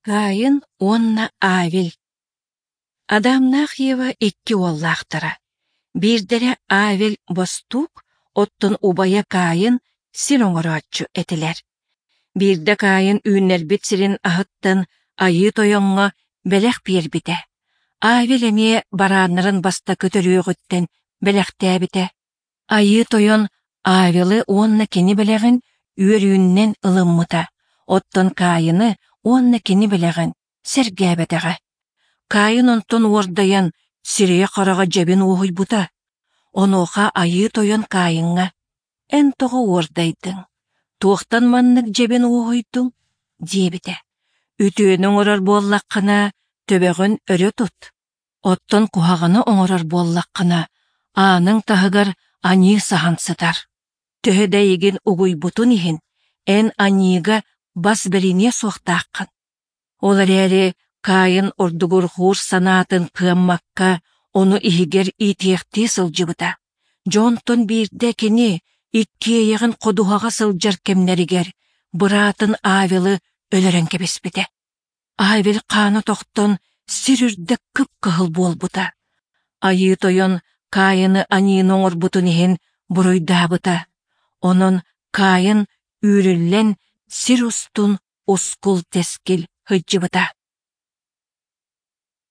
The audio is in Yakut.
Каин уонна Авель Адамнаах Ева икки уоллаахтара. Биирдэрэ Авель бостуук, оттон убайа Каин сир оҥорооччу этилэр. Биирдэ Каин үүннэрбит сирин аһыттан Айыы Тойоҥҥо бэлэх биэрбитэ. Авель эмиэ барааннарын бастакы төрүөҕүттэн бэлэхтээбитэ. Айыы Тойон Авелы уонна кини бэлэҕин үөрүүнэн ылыммыта, оттон Каины уонна кини бэлэҕин сэргээбэтэҕэ. Каин онтон уордайан, сирэйэ-хараҕа дьэбин уоһуйбута. Онуоха Айыы Тойон Каиҥҥа: «Эн тоҕо уордайдыҥ? Туохтан маннык дьэбин уоһуйдуҥ?» диэбитэ. «Үтүөнү оҥорор буоллаххына, төбөҕүн өрө тут. Оттон куһаҕаны оҥорор буоллаххына, ааныҥ таһыгар аньыы саһан сытар. Төһө да эйигин угуйбутун иһин, эн аньыыга бас бэриниэ суохтааххын. Ол эрээри Каин ордугурҕуур санаатын кыаммакка, ону иһигэр иитиэхтии сылдьыбыта. Дьонтон биирдэ кини иккиэйэҕин ходуһаҕа сылдьар кэмнэригэр быраатын Авелы өлөрөн кэбиспитэ. Авель хаана тохтон сир үрдэ кып-кыһыл буолбута. Айыы Тойон Каины аньыыны оҥорбутун иһин буруйдаабыта. Онон Каин үүрүллэн сир устун ускул-тэскил сылдьыбыта.